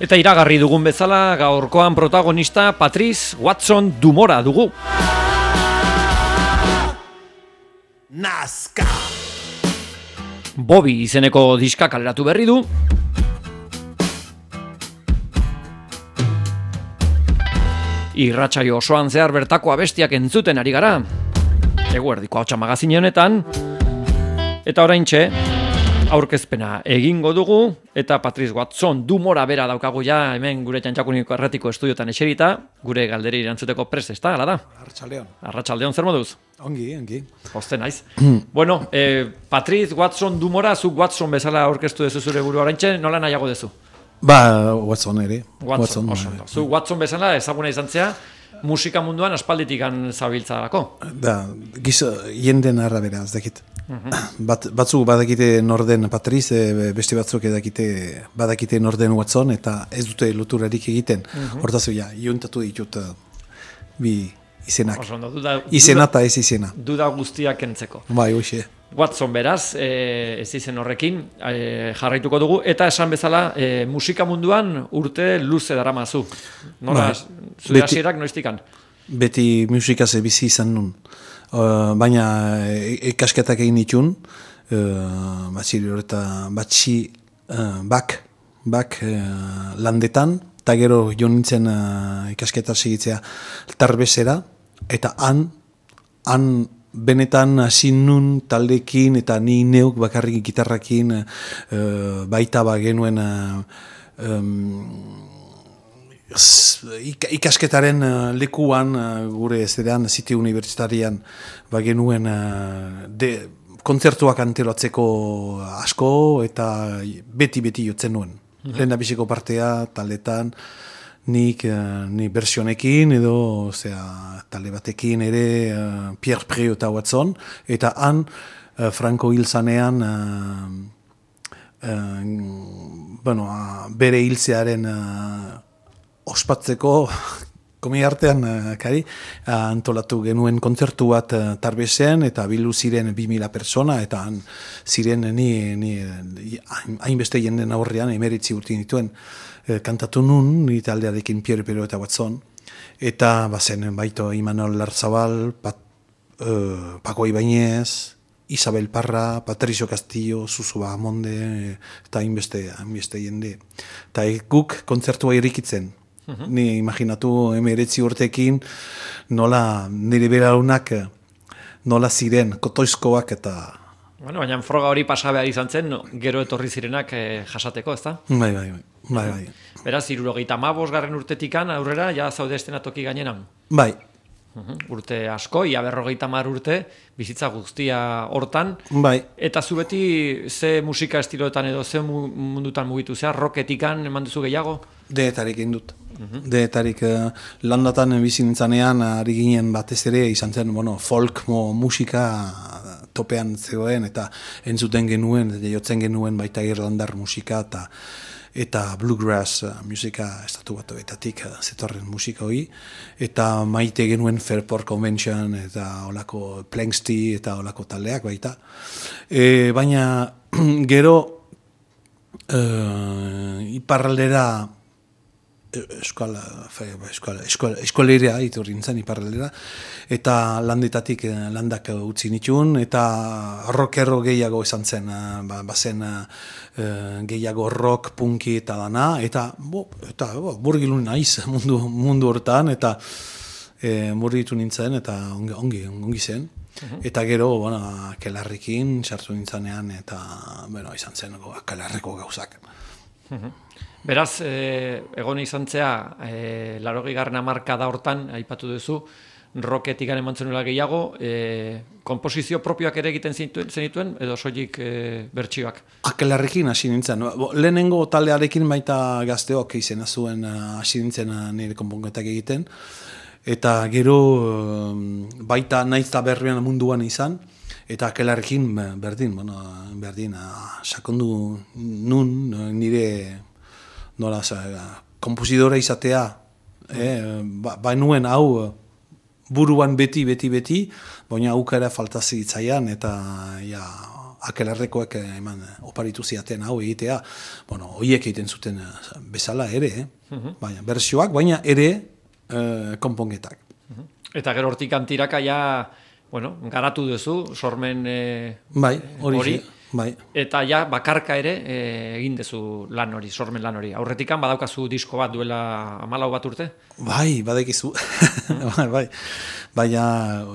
Eta iragarri dugun bezala, gaurkoan protagonista Patrice Watson Dumora dugu. Nazka! Bobby izeneko diska kaleratu berri du. Irratsaio osoan zehar bertako abestiak entzuten ari gara. Eguerdiko Ahotsa magazine honetan. Eta oraintxe aurkezpena egingo dugu eta Patrice Watson Dumora bera daukagu ja hemen gure Txantxakuniko erratiko estudiotan eserita, gure galderi erantzuteko prest, ezta, hala da? Arratsaldeon, zer moduz? Ongi. Poste naiz. Bueno, Patrice Watson Dumora, zuk Watson bezala aurkeztu dezu zure burua oraintxe, nola nahiago dezu? Watson ere. Watson. Zu Watson bezala ezaguna izan zea, musika munduan aspalditikan zabiltzarako. Jenden arabera, ez dakit. Batzuk badakite norden Patrice, beste batzuk badakite norden Watson, eta ez dute loturarik egiten. Hortaz, iontatu ditut bi izenak. Izena eta ez izena. Duda guztiak kentzeko. Bai, hoxe. Watson beraz, ez izen horrekin jarraituko dugu, eta esan bezala musika munduan urte luze daramazu. Nola, zure hasierak noiztikan? Beti musikaz bizi izan nun. Baina ikasketak egin ditun, bak landetan, eta gero jo nintzen ikasketa segitzea Tarbesera, eta han benetan hasi nun taldekin eta ni neuk bakarrik gitarrakin baita genuen ikasketaren lekuan gure zerean City Universitarian genuen kontzertuak antolatzeko asko eta beti jotzen nuen. Lehendabiziko partea taldetan ni versionekin edo talde batekin ere Pierre Preux eta Watson, eta han Franco hil zanean bere hiltzearen ospatzeko komiartean antolatu genuen kontzertu bat Tarbesen, eta bildu ziren 2000 persona, eta han ziren ni hainbeste jenden aurrean 19 urte dituen kantatu nun, ni taldearekin Pierre Preux eta Watson, eta bazen baito Imanol Larzabal, Paco Ibáñez, Isabel Parra, Patricio Castillo, Suso Bahamonde, eta hainbeste jende. Eta guk kontzertua irikitzen. Ni imaginatu 19 urtekin nola nire beraunak nola ziren kotoizkoak eta... Bueno, baina froga hori pasa behar izan zen, gero etorri zirenak jasateko, ezta? Bai. Beraz, 75. urtetikan aurrera, ja zaude estenatoki gainenan? Bai. Urte asko, ia 50 urte, bizitza guztia hortan. Bai. Eta zu beti ze musika estiloetan edo ze mundutan mugitu zea, rocketikan eman duzu gehiago? Deetarik indut. Deetarik landatan bizi nintzanean ari ginen batez ere izan zen folk musika topean zegoen, eta entzuten genuen, jotzen genuen baita irlandar musika eta bluegrass musika estatu batuetatik zetorren musika hori, eta maite genuen Fairport Convention eta olako Planksty eta olako taldeak baita. Baina gero iparraldera eskolera iturri nintzen iparraldera, eta landak utzi nituen, eta rockero gehiago izan zen, bazen gehiago rock, punki eta dana, eta burgilun naiz mundu hortan, eta murritu nintzen, eta ongi zen. Eta gero, Kelarrekin sartu nintzanean, eta izan zen Kelarreko gauzak. Beraz, egon izan zea, 80. hamarkada hortan, aipatu duzu, rocketikan eman zenuela gehiago, komposizio propioak ere egiten zenituen, edo soilik bertsioak? Kelarrekin hasi nintzen. Lehenengo taldearekin baita gazteok izena zuen hasi nintzen nire konponketak egiten, eta gero baita naiz eta berrian munduan izan, eta Kelarrekin berdin, sakondu nun nire komposidora izatea, bainuen hau buruan beti, baina aukera faltazi itzaian, eta akelarrekoak eman oparitu ziaten hau egitea, horiek egiten zuten bezala ere, baina bertsioak, baina ere konponketak. Eta gero hortik antiraka ja, garatu duzu, sormen bai, hori. Bai. Eta ja, bakarka ere egin duzu lan hori, sormen lan hori. Aurretikan badaukazu disko bat duela 14 bat urte? Bai, badekizu. Bai. Baina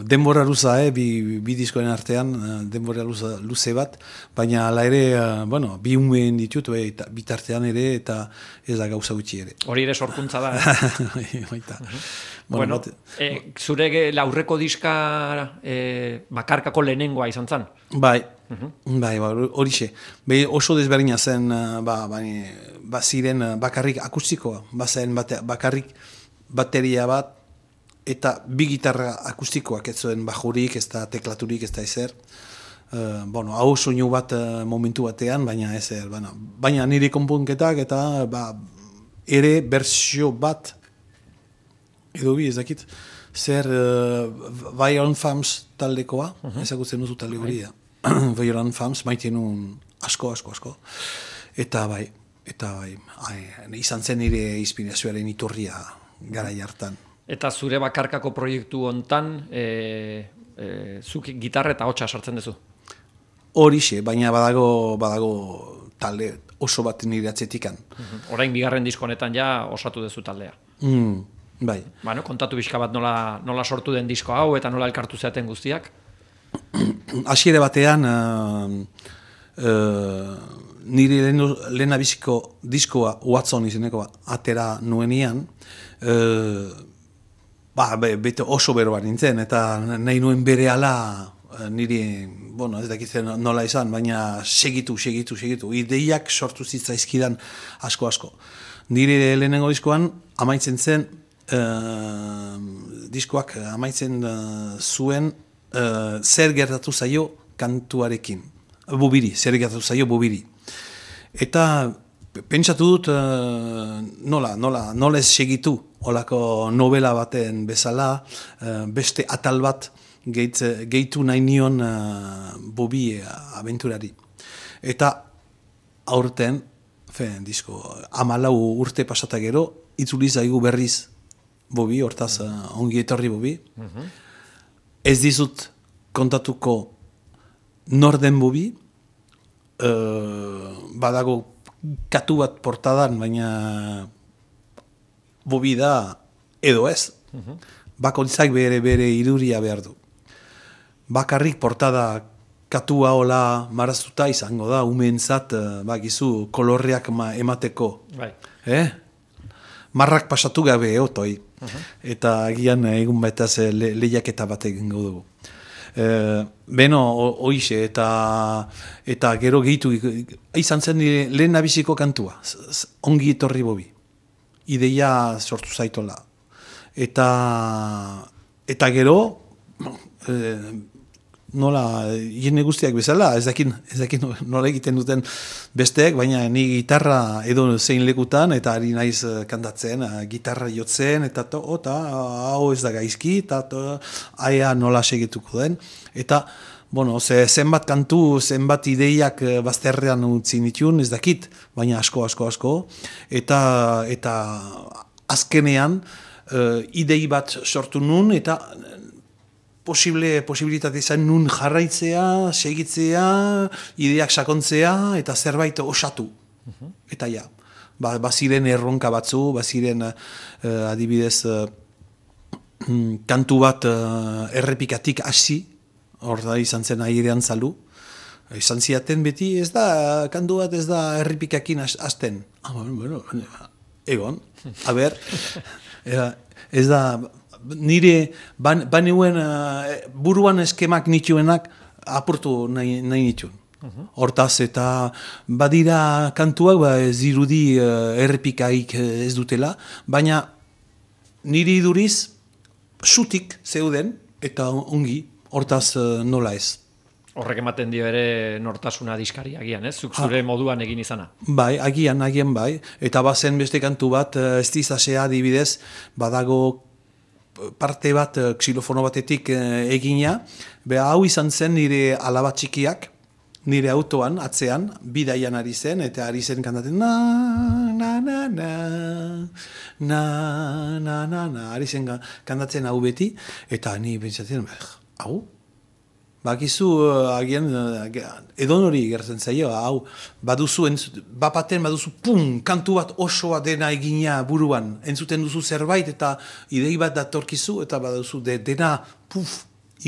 denbora luza, bi diskoen artean, denbora luze bat, baina ala ere, bi umeen ditut, bitartean ere, eta ez da gauza gutxi ere. Hori ere sorkuntza da, Baita. Zure aurreko diska bakarkako lehenengoa izan zen? Bai, horixe. Oso desberdina zen, ziren bakarrik akustikoa, bazen bakarrik bateria bat, eta bi gitarra akustikoak, ez zuen bajurik, ez da teklaturik, ez da ezer. Hau soinu bat momentu batean, baina ezer. Baina nire konponketak eta ere bersio bat, edo bi ez dakit, zer Violent Femmes taldekoa, ezagutzen duzu talde hori da. Violent Femmes, maite nuen asko. Eta izan zen nire inspirazioaren iturria garai hartan. Eta zure bakarkako proiektu hontan, zuk gitarra eta hotsa sartzen duzu? Horixe, baina badago talde oso bat nire atzetikan. Orain bigarren disko honetan ja osatu duzu taldea. Bai. Kontatu bizka bat nola sortu den disko hau eta nola elkartu zeaten guztiak? Hasiera batean, nire lehenabiziko diskoa Watson izenekoa atera nuenian, bete oso beroa nintzen, eta nahi nuen berehala niri, ez dakitzen nola izan, baina segitu. Ideiak sortu zitzaizkidan asko. Nire lehenengo diskoan amaitzen zen, diskoak amaitzen zuen zer gertatu zaio kantuarekin. Zer gertatu zaio bubiri. Eta pentsatu dut nola ez segitu olako novela baten bezala, beste atal bat gehitu nahi nion Bobi abenturari. Eta aurten, disko, 14 urte pasata gero, itzuli zaigu berriz Bobi, hortaz ongi etorri Bobi. Ez dizut kontatuko norden Bobi, badago katu bat portadan, baina Bobi da edo ez. Bakoitzak bere irudia behar du. Bakarrik portada katua hola maraztuta izango da, umeentzat, bakizu, kolorreak emateko. Bai. Marrak pasatu gabe otoi. Eta agian egun baitaz lehiaketa bat egingo dugu. Hoixe, eta gero gehitu, izan zen lehen abiziko kantua, ongi etorri Bobi. Ideia sortu zaitola. Eta gero, nola, jende guztiak bezala, ez dakin nola egiten duten besteek, baina ni gitarra edo zein lekutan, eta ari naiz kantatzen, gitarra jotzen, eta hau ez da gaizki, eta aia nola segituko den. Eta, zenbat kantu, zenbat ideiak bazterrean utzi nituen, ez dakit, baina asko. Eta azkenean, idei bat sortu nun, eta posibilitate izan nun jarraitzea, segitzea, ideak sakontzea, eta zerbait osatu. Eta ja, baziren erronka batzu, baziren adibidez kantu bat errepikatik hasi, hor da izan zen airean zalu, izan ziaten beti, kantu bat ez da errepikakin hasten. Egon, ez da, nire banuen buruan eskemak nituenak apurtu nahi nituen. Hortaz eta badira kantuak ez dirudi errepikaik ez dutela, baina niri iduriz sutik zeuden eta ongi, hortaz nola ez. Horrek ematen dio ere nortasuna diskari agian, ez? Zuk zure moduan egin izana. Bai, agian bai. Eta bazen beste kantu bat, ez dizasea adibidez, badago parte bat xilofono batetik egina. Hau izan zen nire alaba txikiak, nire autoan, atzean, bidaian ari zen, eta ari zen kantaten, ari zen kantatzen hau beti, eta ni pentsatzen, hau? Bakizu, agian, edon hori gertzen zaio, hau, baduzu, bapaten baduzu, kantu bat osoa dena egina buruan, entzuten duzu zerbait, eta idei bat datorkizu, eta baduzu, dena,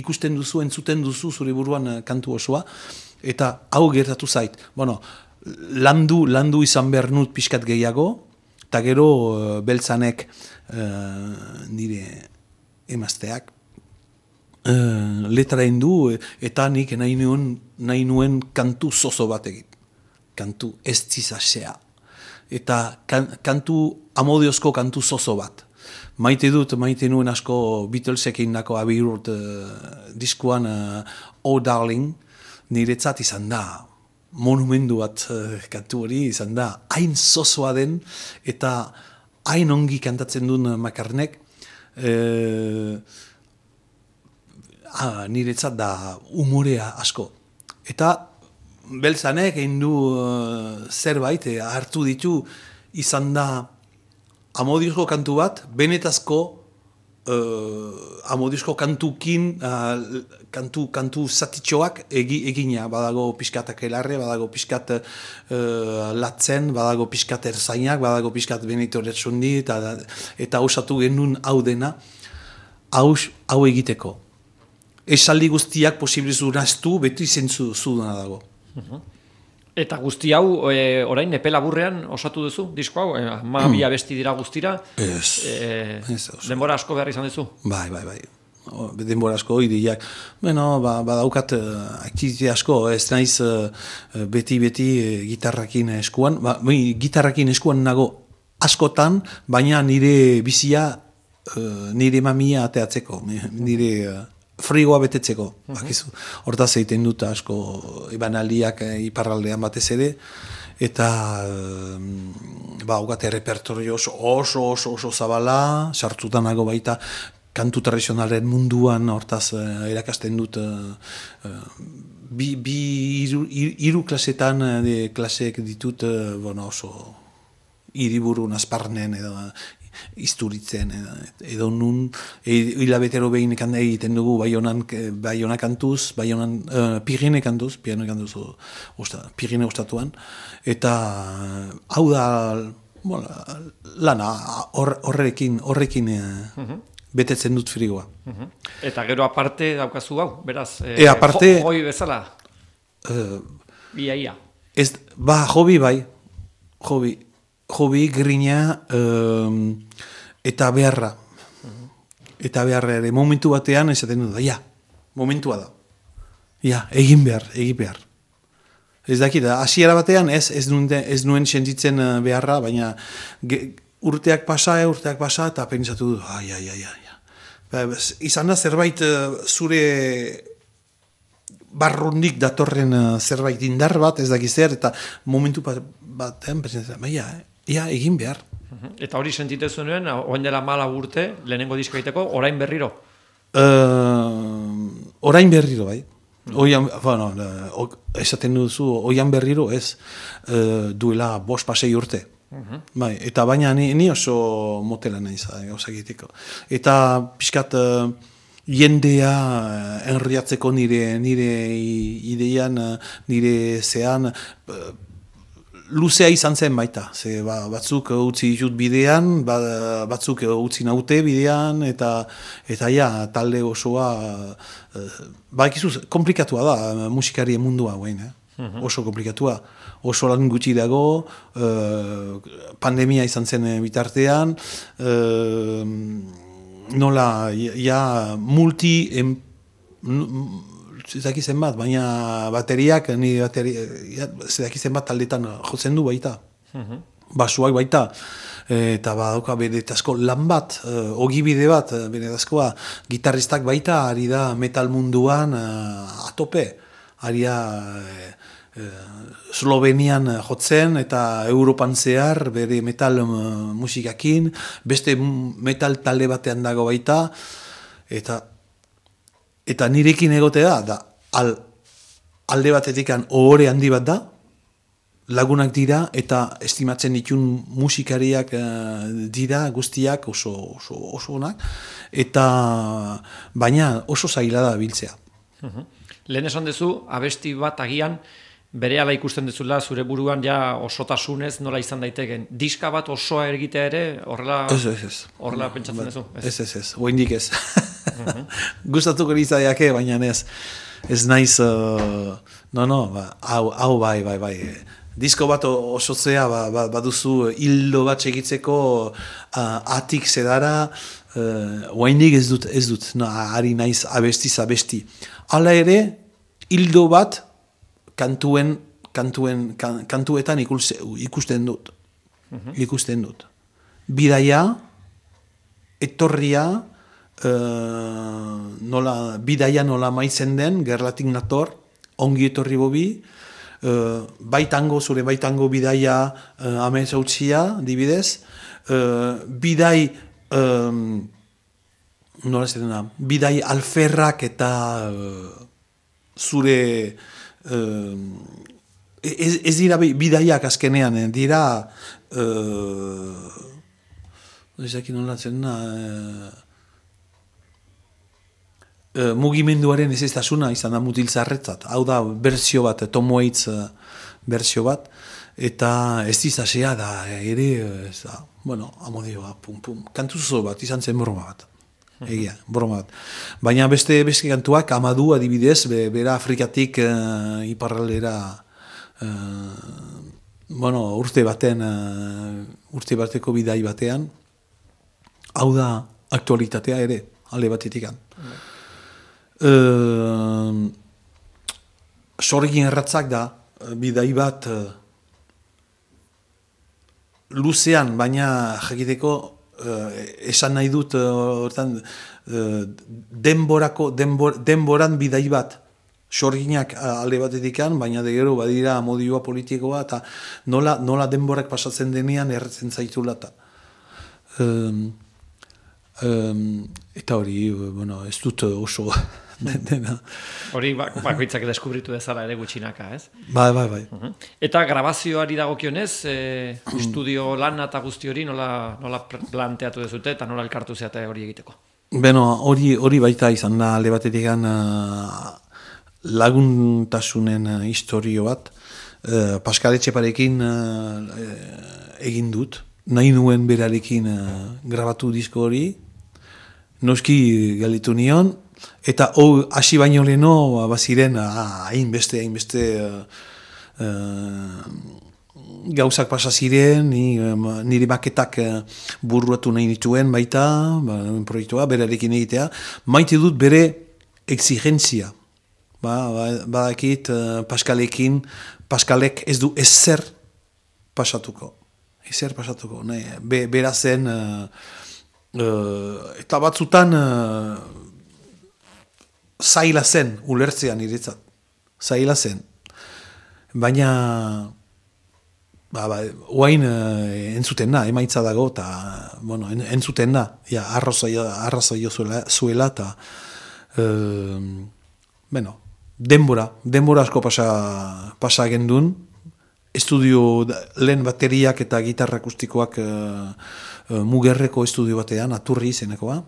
ikusten duzu, entzuten duzu, zure buruan kantu osoa, eta hau gertatu zait. Bueno, landu izan behar nut pixkat gehiago, eta gero beltzanek nire emazteak, letra du eta nik nahi nuen kantu zozo bat egin. Kantu ez zizasea. Eta amodiozko kantu zozo bat. Maite nuen asko Beatlesekin nako Abbey Road diskuan Oh Darling, niretzat izan da monumentu bat kantu hori izan da hain zozoa den eta hain ongi kantatzen duen McCartneyk niretzat da umorea asko. Eta beltzanek egin du zerbait hartu ditu izan da amodiozko kantu bat, benetazko amodiozko kantukin kantu zatitxoak egina, badago pixkat akelarre, badago pixkat latzen, badago pixkat erzainak, badago pixkat Benito Retsundi, eta osatu genuen hau dena, hau egiteko. Esaldi guztiak posibilizu naztu, beti zentzu dena dago. Eta guzti hau, orain epe laburrean osatu duzu, disko hau? Bi abesti dira guztira? Denbora asko behar izan duzu? Bai. Denbora asko, ideiak. Badaukat aktivitate asko, ez naiz beti gitarrakin eskuan. Gitarrakin eskuan nago askotan, baina nire bizia, nire mamia ateatzeko, nire frigoa betetzeko. Hortaz egiten dut asko ibanaldiak iparraldean batez ere, eta haukate repertorio oso zabala, sartzutanago baita kantu tradizionalen munduan, hortaz erakasten dut hiru klasetan klaseek ditut oso hiriburu Azparnen edo Isturitzen edo nun hilabetero behin egiten dugu Baiona kantuz, Pirine kantuz, Pirine ostatuan, eta hau da lana horrekin betetzen dut frigoa. Eta gero aparte daukazu hau, beraz, hoi bezala? Ia. Hobi bai, hobi, grina, eta beharra. Eta beharra ere, momentu batean esaten dut, momentua da. Egin behar. Ez dakit, hasiera batean ez nuen sentitzen beharra, baina urteak pasa, eta pentsatu dut, izan da zerbait zure barrundik datorren zerbait indar bat, ez dakiz zer, eta momentu batean pentsatzen, egin behar. Eta hori sentitezu nuen, oain dela 4 urte, lehenengo diska egiteko, orain berriro? Orain berriro, bai. Esaten duzu, oian berriro ez duela 5-6 urte. Eta baina ni oso motela naiz, gauzakiteko. Eta pixkat jendea enriatzeko nire ideian, nire zean, luzea izan zen baita, batzuk utzi ditut bidean, batzuk utzi naute bidean, eta talde osoa, komplikatua da musikarien mundua guen, oso komplikatua, oso lan gutxi dago, pandemia izan zen bitartean, nola, zedakizen bat, baina bateriak, zedakizen bat taldetan jotzen du baita. Basuak baita. Eta badauka benetazko lan bat, ogibide bat, benetazkoa, gitarristak baita, ari da metal munduan atope. Ari da Slovenian jotzen eta Europan zehar bere metal musikakin, beste metal talde batean dago baita, eta nirekin egotea da alde batetik ohore handi bat da, lagunak dira eta estimatzen ditun musikariak dira guztiak oso onak, eta baina oso zaila da biltzea. Lehen esan duzu, abesti bat agian, berehala ikusten duzula, zure buruan ja osotasunez nola izan daiteken. Diska bat osoa egitea ere, horrela pentsatzen duzu? Ez, oendik ez. Gustatuko izaiake, baina ez naiz, hau bai. Disko bat osotzea baduzu hildo bat segitzeko atik zedara, oendik ez dut, ari naiz abesti. Hala ere, hildo bat kantuetan ikusten dut. Bidaia, etorria, bidaia nola maitzen den, gerlatik nator, ongi etorri bobi, zure baitango bidaia amets hautzia, dibidez, bidai alferrak eta zure ez dira bidaiak azkenean, dira mugimenduaren ezeztasuna izan da mutiltzarretzat. Hau da, berzio bat, Tom Waits berzio bat, eta ez dizasea da, ere, amodioa, kantuzo bat, izan zen broma bat. Egia, broma bat. Baina beste kantuak, Amadu adibidez, bera Afrikatik iparraldera urte bateko bidai batean, hau da aktualitatea ere, alde batetikan. Sorgin erratzak da, bidai bat luzean, baina jakiteko esan nahi dut denboran bidai bat sorginak alde batetikan, baina de gero badira modioa politikoa eta nola denborak pasatzen denean erretzen zaitula eta hori, ez dut oso dena. Hori bakoitzak deskubritu dezala ere gutxinaka, ez? Bai. Eta grabazioari dagokionez, estudio lan eta guzti hori nola planteatu dezute eta nola elkartu zeate hori egiteko? Hori baita izan da alde batetik laguntasunen historio bat. Pascal Etxeparekin egin dut, nahi nuen berarekin grabatu disko hori, noski galitu nion, eta hasi baino leheno baziren hainbeste gauzak pasa ziren, nire maketak buruatu nahi nituen baita, proiektua, berarekin egitea, maite dut bere exigentzia. Badakit Pascalek ez du ezer pasatuko. Bera zen, eta batzutan zaila zen ulertzean niretzat. Zaila zen. Baina oain entzuten da, emaitza dago, eta entzuten da, arrazoio zuela, eta denbora asko pasa gendun, estudio lehen bateriak eta gitarra akustikoak Mugerreko estudio batean, Aturri izenekoa,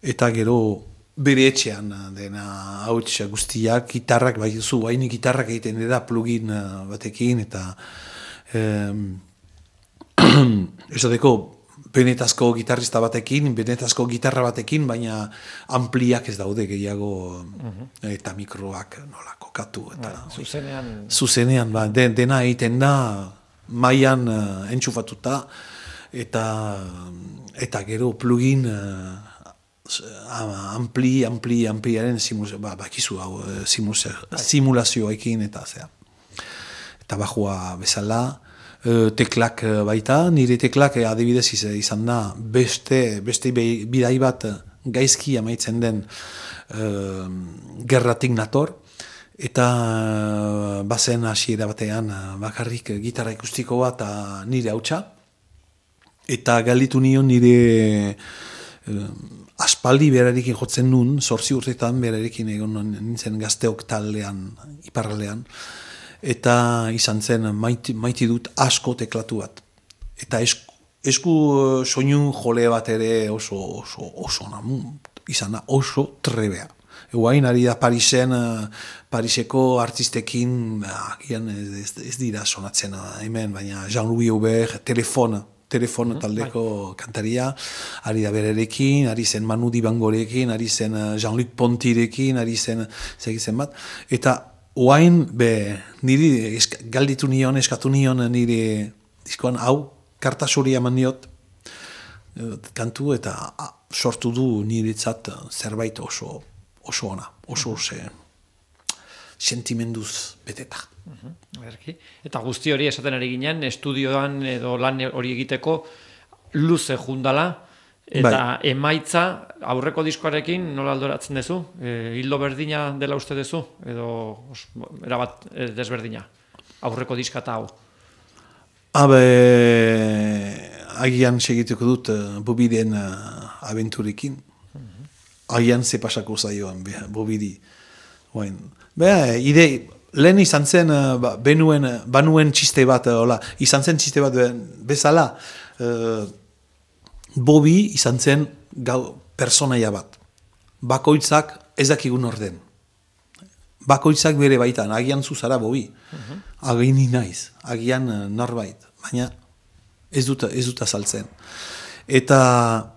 eta gero bere etxean dena hauts guztiak, gitarrak, hainik gitarrak egiten dira plugin batekin, eta esateko benetazko gitarrista batekin, benetazko gitarra batekin, baina ampliak ez daude gehiago, eta mikroak nola kokatu. Zuzenean, dena egiten da, mailan entxufatuta, eta gero plugin ampliaren simulazioekin, eta bajua bezala, teklak baita, nire teklak adibidez izan da beste bidai bat gaizki amaitzen den gerratik nator, eta bazen hasiera batean bakarrik gitarra ikustiko bat nire hautsa, eta galditu nion nire aspaldi berarekin jotzen nun, 8 urtetan berarekin egon nintzen Gazteok taldean, iparraldean, eta izan zen maite dut asko teklatu bat. Eta esku soinu jole bat ere oso izan da oso trebea. Eguain ari da Pariseko artistekin, agian ez dira sonatzen hemen, baina Jean-Louis Aubert, Telefon taldeko kantaria, ari da berarekin, ari zen Manu Dibangorekin, ari zen Jean-Luc Pontirekin, ari zen segitzen bat, eta oain, niri eskatu nion niri diskoan hau, karta suri eman niot, kantu eta sortu du niretzat zerbait oso ona, oso sentimenduz beteta. Eta guzti hori esaten ari ginen, estudioan edo lan hori egiteko luze jundala, eta emaitza aurreko diskoarekin nola aldoratzen duzu? Hildo berdina dela uste duzu? Edo erabat desberdina? Aurreko diskata hau? Agian segituko dut Bobiden abenturekin. Agian ze pasako zaioan Bobidi. Lehen izan zen, banuen txiste bat, izan zen txiste bat bezala, Bobi izan zen personaia bat. Bakoitzak ez dakigun orden. Bakoitzak bere baitan, agian zuzara Bobi. Agian naiz, agian norbait, baina ez dut azaltzen. Eta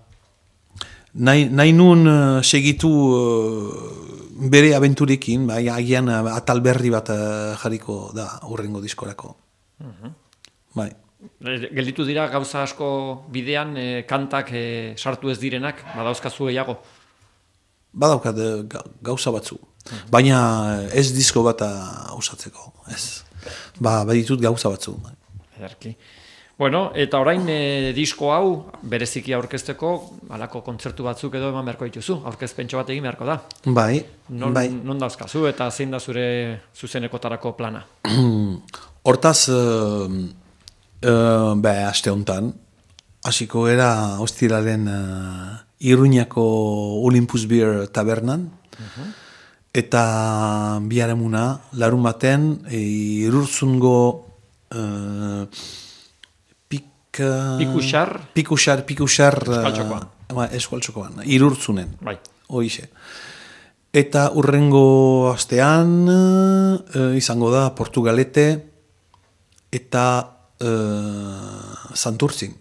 nahi nun segitu bere abenturekin, agian atal berri bat jarriko da hurrengo diskorako. Gelditu dira gauza asko bidean, kantak sartu ez direnak, badauzkazu gehiago? Badaukat gauza batzu, baina ez disko bat osatzeko, ez. Baditut gauza batzu. Ederki. Bueno, eta orain disko hau bereziki aurkezteko, halako kontzertu batzuk edo eman beharko dituzu, aurkezpentxo bat egin beharko da. Bai. Non dauzkazu eta zein da zure zuzenekotarako plana? Hortaz, aste honetan, hasiko era ostiraren Iruñako Olympus Beer tabernan, eta biharamuna, larun baten, Irurzungo Pikuxar Eskualtxokoan, Irurtzunen, horixe. Eta urrengo astean izango da Portugalete eta Santurtzin.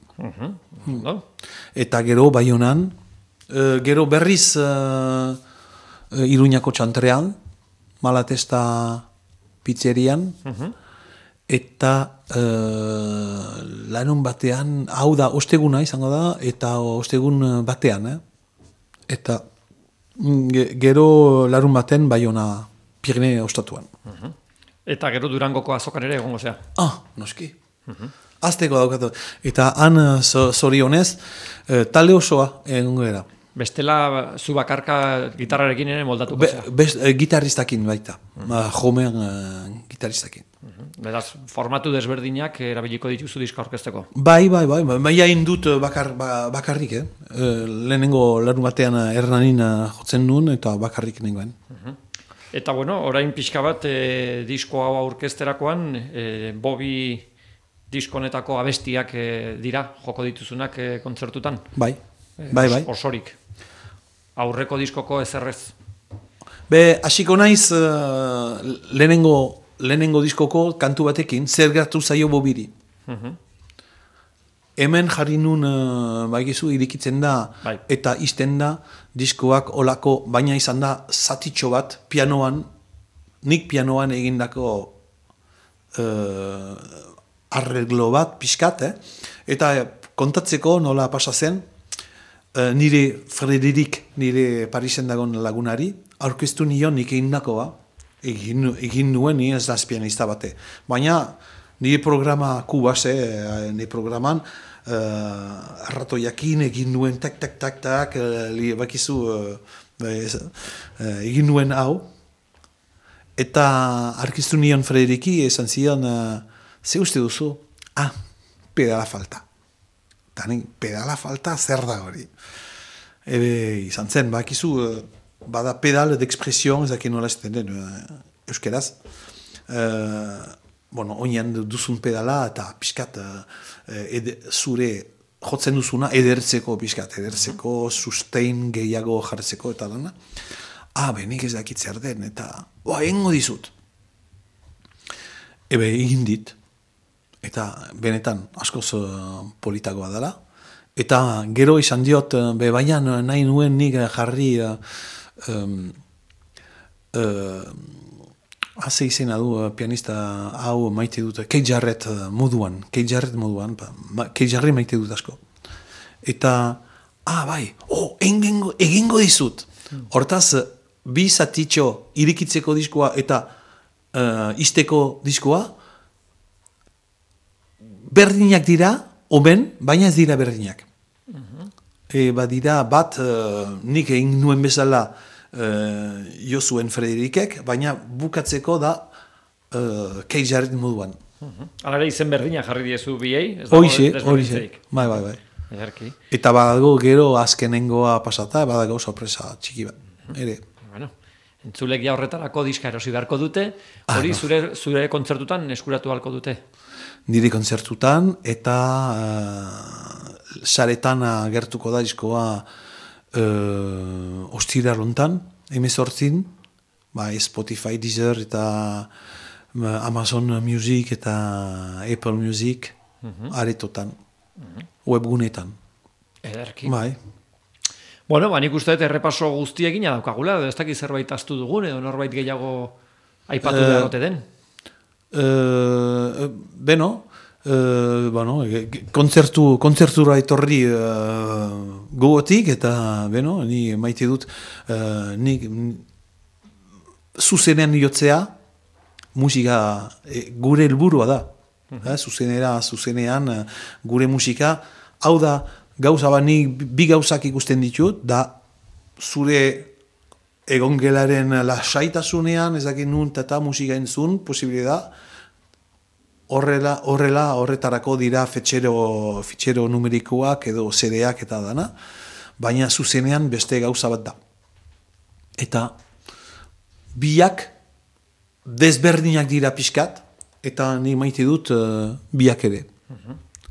Eta gero Baionan, gero berriz Iruñako txantrean, Malatesta pizzerian, eta lanun batean, hau da, osteguna izango da, eta ostegun batean, eta gero larun baten Baiona Pirene ostatuan. Eta gero Durangoko azokan ere egongo zea? Noski. Azteko daukatu. Eta han zorionez, talde osoa egongo era. Bestela zu bakarka gitarrarekin ere moldatuko zea? Gitarristakin baita. Jomean gitarristakin. Beraz, formatu desberdinak erabiliko dituzu diska orkesteko? Bai, hain dut bakarrik, lehenengo larun batean Hernanin jotzen nuen, eta bakarrik nengoen. Eta bueno, orain pixka bat disko hau aurkezterakoan, Bobi diskonetako abestiak dira, joko dituzunak kontzertutan? Bai. Osorik. Aurreko diskoko ezerrez? Hasiko naiz lehenengo diskoko kantu batekin, zer gertu zaio Bobiri. Hemen jarri nun, baigizu, irikitzen da, eta izten da, diskoak olako, baina izan da, zatitxo bat, nik pianoan egindako arreglo bat, pixkat, eta kontatzeko nola pasa zen, nire Frederik, nire Parisen dagoen lagunari, aurkeztu nion nik egindakoa, egin nuen ez da pianista bate. Baina nire programa kubaz, nire programan, arratoiakin egin nuen tak, bakizu, egin nuen hau, eta aurkeztu nion Frederiki, esan zion, ze uste duzu? Pedala falta. Pedala falta zer da hori. izan zen, bakizu, bada pedal d'expression, ezak nola esaten den euskeraz. Oinan duzun pedala eta pixkat zure jotzen duzuna edertzeko pixkat, edertzeko sustain gehiago jartzeko eta dana. Benik ez dakit zer den, eta egingo dizut. Egin dit, eta benetan askoz politagoa dela. Eta gero izan diot, baina nahi nuen nik jarri haze izena du pianista hau maite dut, Keith Jarrett moduan, Keith Jarrett maite dut asko. Eta, egingo dizut. Hortaz, bi zatitxo irikitzeko diskoa eta izteko diskoa, berdinak dira, oben, baina ez dira berdinak. Badira bat, nik egin nuen bezala Josuen Frederikek, baina bukatzeko da Keith Jarrett moduan. Hala ere izen berdina jarri diezu biei? Horixe. Bai. Ederki. Eta badago gero azkenengoa pasata, badago sorpresa txiki bat. Ere. Bueno, entzulek ja horretarako diska erosi beharko dute, hori zure kontzertutan eskuratu halko dute? Nire kontzertutan, eta saretan agertuko da diskoa ostira lontan, 18, Spotify, Deezer eta Amazon Music eta Apple Music, aretotan, webgunetan. Ederki. Bai. Bueno, nik uste dut errepaso guztiekin daukagula, ez dakit zerbait ahaztu dugun, edo norbait gehiago aipatu beharrote den. Kontzertura etorri gogotik, eta ni maite dut nik zuzenean jotzea musika gure helburua da. Zuzenean gure musika, hau da gauza nik bi gauzak ikusten ditut, da zure egongelaren lasaitasunean, ezakin nun eta musika entzun, posible da, horretarako dira fitxero numerikoak edo CD-ak eta dana, baina zuzenean beste gauza bat da. Eta biak desberdinak dira pixkat, eta ni maite dut biak ere.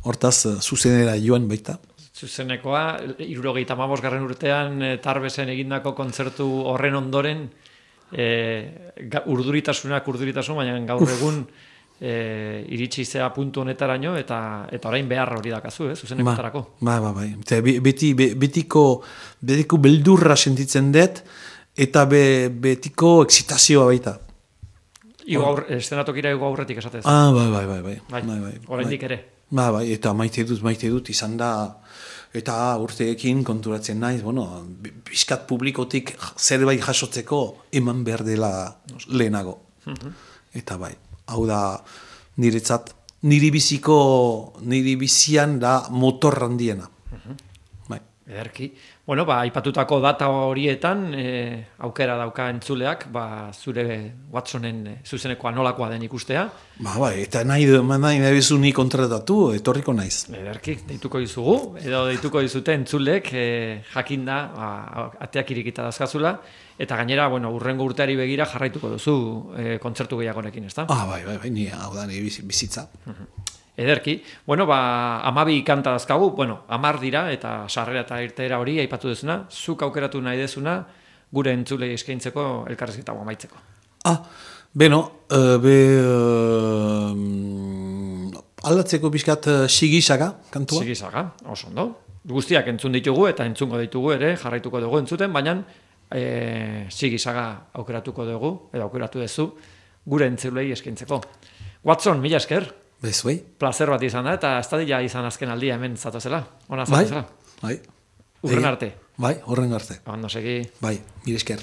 Hortaz, zuzenera joan baita. Zuzenekoa, 75. urtean Tarbesen egindako kontzertu horren ondoren urduritasun, baina gaur egun iritsi zea puntu honetaraino eta orain behar hori dakazu, zuzenekotarako. Bai. Betiko beldurra sentitzen dut eta betiko excitazioa baita. Estenatokira igo aurretik esatez. Bai. Oraindik ere. Bai, eta maite dut izan da, eta urteekin konturatzen naiz, bizkat publikotik zerbait jasotzeko eman behar dela lehenago. Eta bai, hau da niretzat, niri bizian da motor handiena. Bai. Ederki. Bueno, aipatutako data horietan, aukera dauka entzuleak, zure Watsonen zuzenekoa nolakoa den ikustea. Bai, eta nahi bezu ni kontratatu, etorriko naiz. Ederki, deituko dizugu, edo deituko dizute entzulek, jakinda, ateak irikita dazkazula, eta gainera, urrengo urteari begira jarraituko duzu kontzertu gehiagonekin, ezta? Bai, ni hau da, ni bizitza. Ederki. 12 kanta dazkagu, 10 dira, eta sarrera eta irteera hori aipatu duzuna, zuk aukeratu nahi dezuna, gure entzulei eskaintzeko elkarrizketa amaitzeko. Aldatzeko bizkat Sigisaga kantua? Sigisaga, oso ondo. Guztiak entzun ditugu eta entzungo ditugu ere, jarraituko dugu entzuten, baina Sigisaga aukeratuko dugu, edo aukeratu duzu, gure entzulei eskaintzeko. Watson, mila esker. Bezuei. Plazer bat izan da, eta ez da izan azken aldia hemen zatozela. Ona zatozela. Bai. Urren arte. Bai, urren arte. Ondo segi. Bai, mila esker.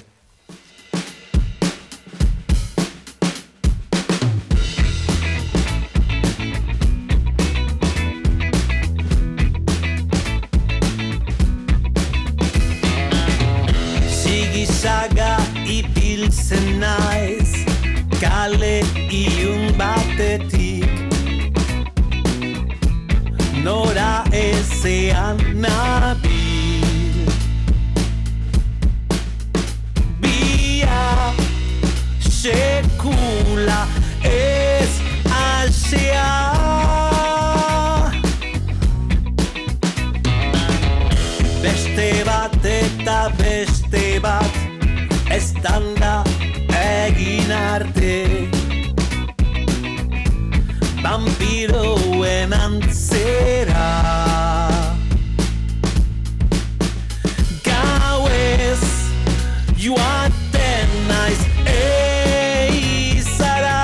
Sigisaga ipiltzen naiz, kale ilun batetik. Nora ezean nabil, beste bat eta beste bat eztanda egin arte. Vampiroen antzera gauez joaten naiz eizara.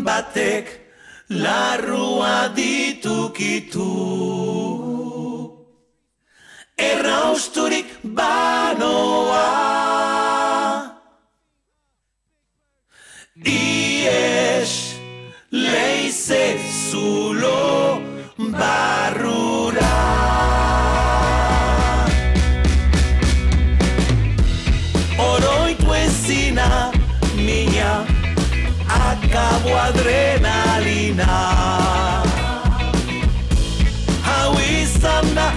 Batek larrua ditukitu, errausturik banoa. Ies leize zulo barrura. Oroitu ezina mina akabo adrenalina. Hau izan da